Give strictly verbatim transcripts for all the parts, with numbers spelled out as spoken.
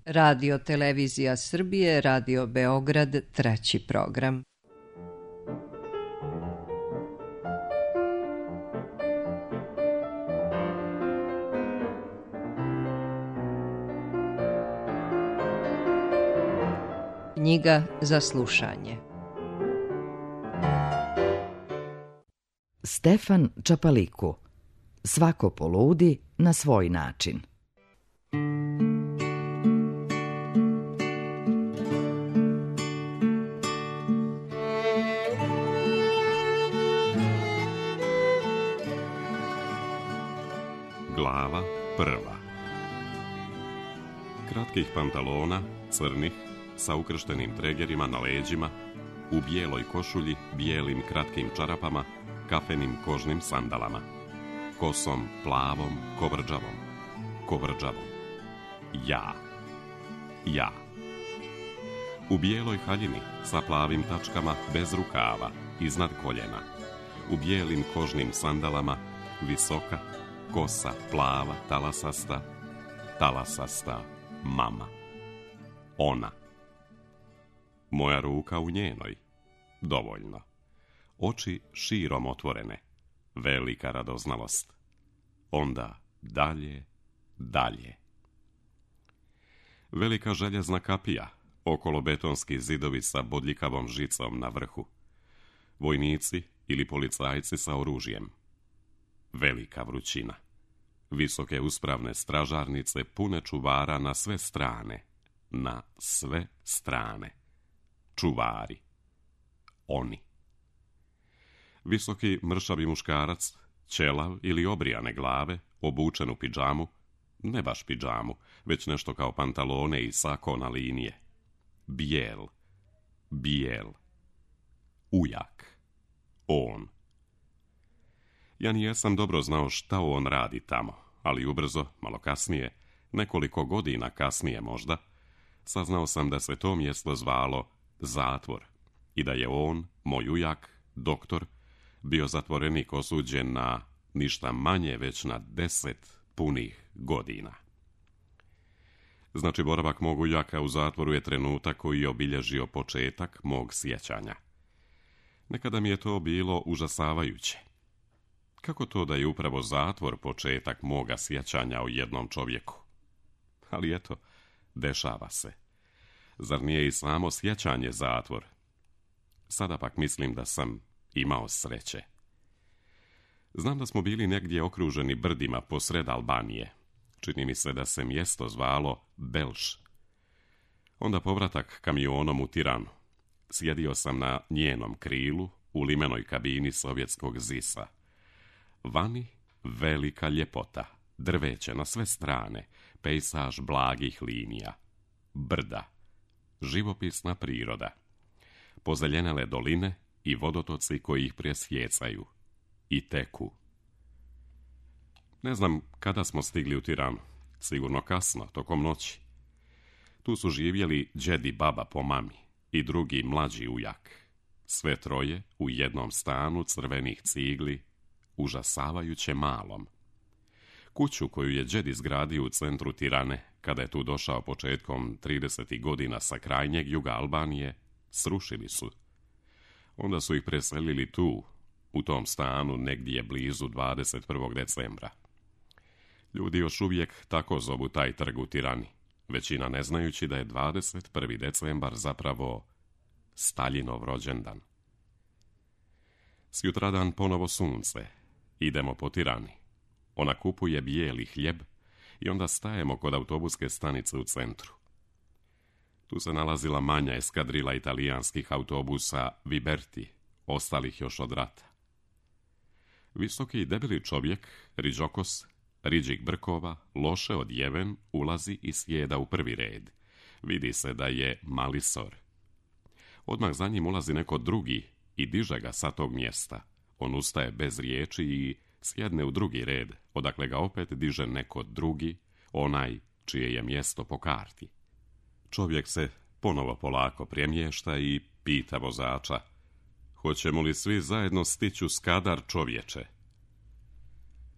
Radio Televizija Srbije, Radio Beograd, treći program. Knjiga za slušanje. Stefan Čapaliku. Svako poludi na svoj način. Glava prva. Kratkih pantalona, crnih, sa ukrštenim tregerima na leđima, u bijeloj košulji, bijelim kratkim čarapama, kafenim kožnim sandalama, kosom plavom, kovrđavom, kovrđavom. Ja. Ja. U bijeloj haljini, sa plavim tačkama, bez rukava, iznad koljena, u bijelim kožnim sandalama, visoka, kosa plava, talasasta, talasasta, mama. Ona. Moja ruka u njenoj. Dovoljno. Oči širom otvorene. Velika radoznalost. Onda dalje, dalje. Velika željezna kapija. Okolo betonski zidovi sa bodljikavom žicom na vrhu. Vojnici ili policajci sa oružjem. Velika vrućina. Visoke uspravne stražarnice pune čuvara na sve strane. Na sve strane. Čuvari. Oni. Visoki mršavi muškarac, ćelav ili obrijane glave, obučen u pidžamu, ne baš pidžamu, već nešto kao pantalone i sako na linije. Bijel. Bijel. Ujak. On. Ja nijesam dobro znao šta on radi tamo, ali ubrzo, malo kasnije, nekoliko godina kasnije možda, saznao sam da se to mjesto zvalo zatvor i da je on, moj ujak, doktor, bio zatvorenik osuđen na ništa manje već na deset punih godina. Znači, boravak mog ujaka u zatvoru je trenutak koji je obilježio početak mog sjećanja. Nekada mi je to bilo užasavajuće. Kako to da je upravo zatvor početak moga sjećanja o jednom čovjeku? Ali eto, dešava se. Zar nije i samo sjećanje zatvor? Sada pak mislim da sam imao sreće. Znam da smo bili negdje okruženi brdima posred Albanije. Čini mi se da se mjesto zvalo Belš. Onda povratak kamionom u Tiranu. Sjedio sam na njenom krilu u limenoj kabini sovjetskog zisa. Vani velika ljepota, drveće na sve strane, pejsaž blagih linija, brda, živopisna priroda, pozeljenele doline i vodotoci koji ih presjecaju i teku. Ne znam kada smo stigli u Tiranu, sigurno kasno, tokom noći. Tu su živjeli džed i baba po mami i drugi mlađi ujak. Sve troje u jednom stanu crvenih cigli, užasavajuće malom. Kuću koju je džed izgradio u centru Tirane, kada je tu došao početkom tridesetih godina sa krajnjeg juga Albanije, srušili su. Onda su ih preselili tu, u tom stanu negdje blizu dvadeset prvog decembra. Ljudi još uvijek tako zovu taj trg u Tirani, većina ne znajući da je dvadeset prvi decembar zapravo Staljinov rođendan. Sjutradan ponovo sunce. Idemo po Tirani. Ona kupuje bijeli hljeb i onda stajemo kod autobuske stanice u centru. Tu se nalazila manja eskadrila italijanskih autobusa Viberti, ostalih još od rata. Visoki i debeli čovjek, riđokos, riđih brkova, loše odjeven, ulazi i sjeda u prvi red. Vidi se da je malisor. Odmah za njim ulazi neko drugi i diže ga sa tog mjesta. On ustaje bez riječi i sjedne u drugi red, odakle ga opet diže neko drugi, onaj čije je mjesto po karti. Čovjek se ponovo polako premješta i pita vozača: hoćemo li svi zajedno stići u Skadar, čovječe?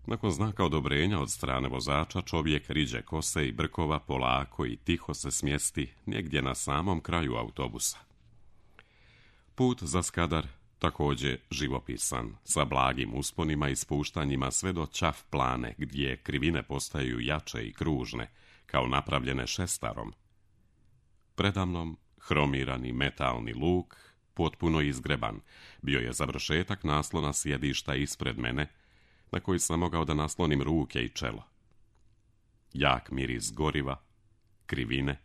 Nakon znaka odobrenja od strane vozača, čovjek riđe kose i brkova polako i tiho se smjesti negdje na samom kraju autobusa. Put za Skadar također živopisan, sa blagim usponima i spuštanjima sve do Ćaf Plane, gdje krivine postaju jače i kružne, kao napravljene šestarom. Predamnom hromirani metalni luk, potpuno izgreban, bio je završetak naslona sjedišta ispred mene, na koji sam mogao da naslonim ruke i čelo. Jak miris goriva, krivine,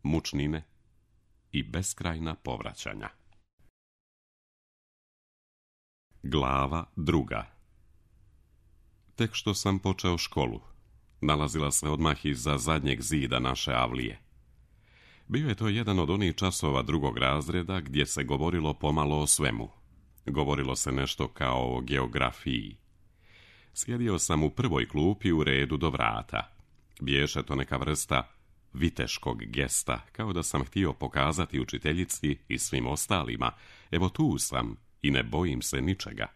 mučnine i beskrajna povraćanja. Glava druga. Tek što sam počeo školu, nalazila se odmah iza zadnjeg zida naše avlije. Bio je to jedan od onih časova drugog razreda gdje se govorilo pomalo o svemu. Govorilo se nešto kao o geografiji. Sjedio sam u prvoj klupi u redu do vrata. Biješe to neka vrsta viteškog gesta, kao da sam htio pokazati učiteljici i svim ostalima, evo tu sam i ne bojim se ničega.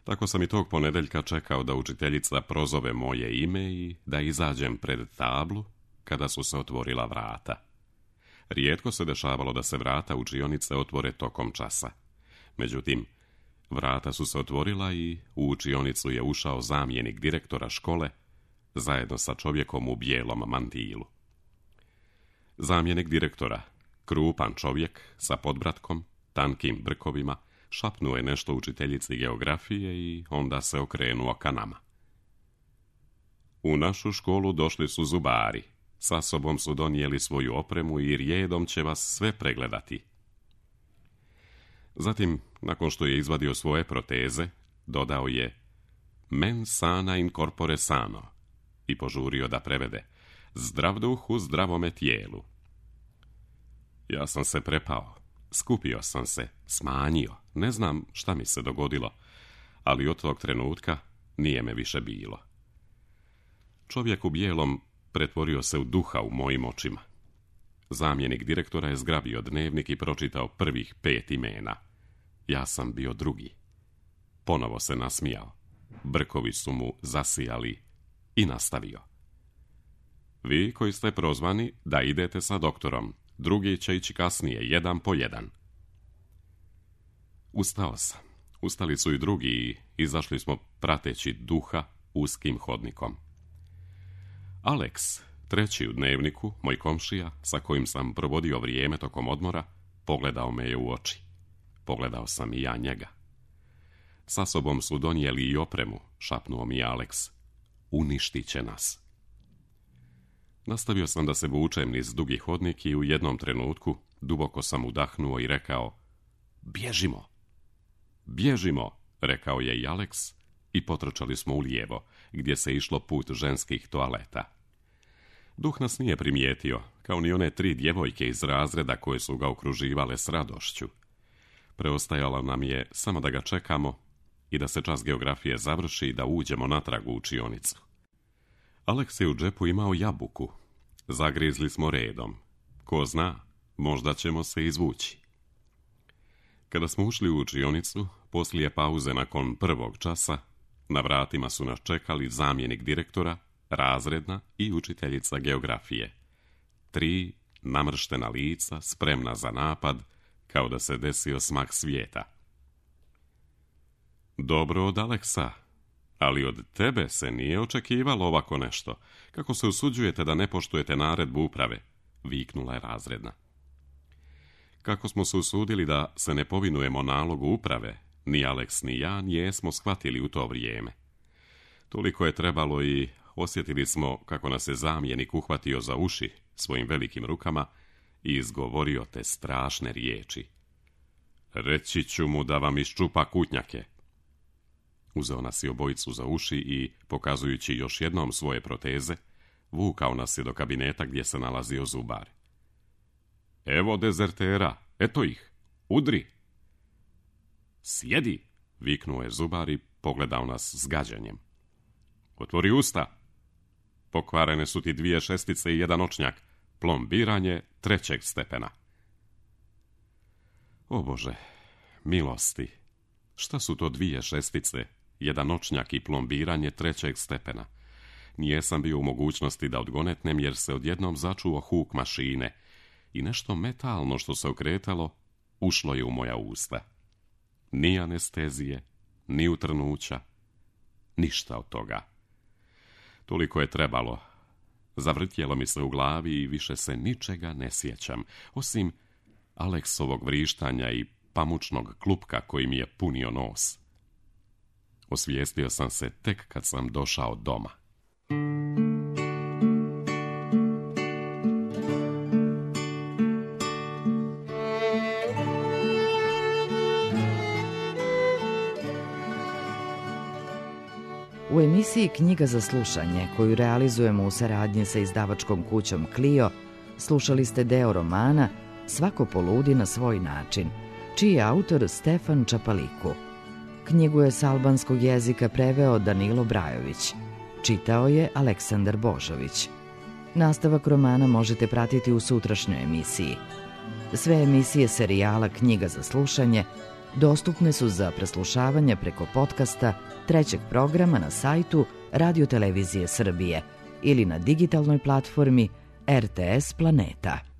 Tako sam i tog ponedeljka čekao da učiteljica prozove moje ime i da izađem pred tablu kada su se otvorila vrata. Rijetko se dešavalo da se vrata učionice otvore tokom časa. Međutim, vrata su se otvorila i u učionicu je ušao zamjenik direktora škole zajedno sa čovjekom u bijelom mantilu. Zamjenik direktora, krupan čovjek sa podbratkom, tankim brkovima, šapnuo je nešto učiteljici geografije i onda se okrenuo ka nama. U našu školu došli su zubari. Sa sobom su donijeli svoju opremu i rijedom će vas sve pregledati. Zatim, nakon što je izvadio svoje proteze, dodao je mens sana in corpore sano i požurio da prevede zdrav duh u zdravome tijelu. Ja sam se prepao, skupio sam se, smanjio, ne znam šta mi se dogodilo, ali od tog trenutka nije me više bilo. Čovjek u bijelom pretvorio se u duha u mojim očima. Zamjenik direktora je zgrabio dnevnik i pročitao prvih pet imena. Ja sam bio drugi. Ponovo se nasmijao. Brkovi su mu zasijali i nastavio. Vi koji ste prozvani da idete sa doktorom, drugi će ići kasnije, jedan po jedan. Ustao sam. Ustali su i drugi i izašli smo prateći duha uskim hodnikom. Alex, treći u dnevniku, moj komšija, sa kojim sam provodio vrijeme tokom odmora, pogledao me je u oči. Pogledao sam i ja njega. Sa sobom su donijeli i opremu, šapnuo mi Alex. Uništit će nas. Nastavio sam da se vučem niz dugi hodnik i u jednom trenutku duboko sam udahnuo i rekao bježimo. Bježimo, rekao je i Alex i potrčali smo u lijevo, gdje se išlo put ženskih toaleta. Duh nas nije primijetio, kao ni one tri djevojke iz razreda koje su ga okruživale s radošću. Preostajalo nam je samo da ga čekamo i da se čas geografije završi i da uđemo natrag u učionicu. Alex je u džepu imao jabuku. Zagrizli smo redom. Ko zna, možda ćemo se izvući. Kada smo ušli u učionicu, poslije pauze nakon prvog časa, na vratima su nas čekali zamjenik direktora, razredna i učiteljica geografije. Tri namrštena lica, spremna za napad, kao da se desio smak svijeta. Dobro od Aleksa, ali od tebe se nije očekivalo ovako nešto. Kako se usuđujete da ne poštujete naredbu uprave? Viknula je razredna. Kako smo se usudili da se ne povinujemo nalogu uprave, ni Alex ni ja nijesmo shvatili u to vrijeme. Toliko je trebalo i osjetili smo kako nas je zamjenik uhvatio za uši svojim velikim rukama i izgovorio te strašne riječi. Reći ću mu da vam iščupa kutnjake. Uzeo nas je obojicu za uši i, pokazujući još jednom svoje proteze, vukao nas je do kabineta gdje se nalazio zubar. Evo dezertera, eto ih, udri. Sjedi, viknuo je zubar i pogledao nas s gađenjem. Otvori usta. Pokvarene su ti dvije šestice i jedan očnjak, plombiranje trećeg stepena. O Bože, milosti, šta su to dvije šestice jedan noćnjak i plombiranje trećeg stepena. Nijesam bio u mogućnosti da odgonetnem jer se odjednom začuo huk mašine i nešto metalno što se okretalo ušlo je u moja usta. Ni anestezije, ni utrnuća, ništa od toga. Toliko je trebalo. Zavrtjelo mi se u glavi i više se ničega ne sjećam, osim Aleksovog vrištanja i pamučnog klupka koji mi je punio nos. Osvijestio sam se tek kad sam došao doma. U emisiji Knjiga za slušanje, koju realizujemo u saradnji sa izdavačkom kućom Clio, slušali ste deo romana Svako poludi na svoj način, čiji je autor Stefan Čapaliku. Knjigu je s albanskog jezika preveo Danilo Brajović. Čitao je Aleksandar Božović. Nastavak romana možete pratiti u sutrašnjoj emisiji. Sve emisije serijala Knjiga za slušanje dostupne su za preslušavanje preko podcasta trećeg programa na sajtu Radio Televizije Srbije ili na digitalnoj platformi R T S Planeta.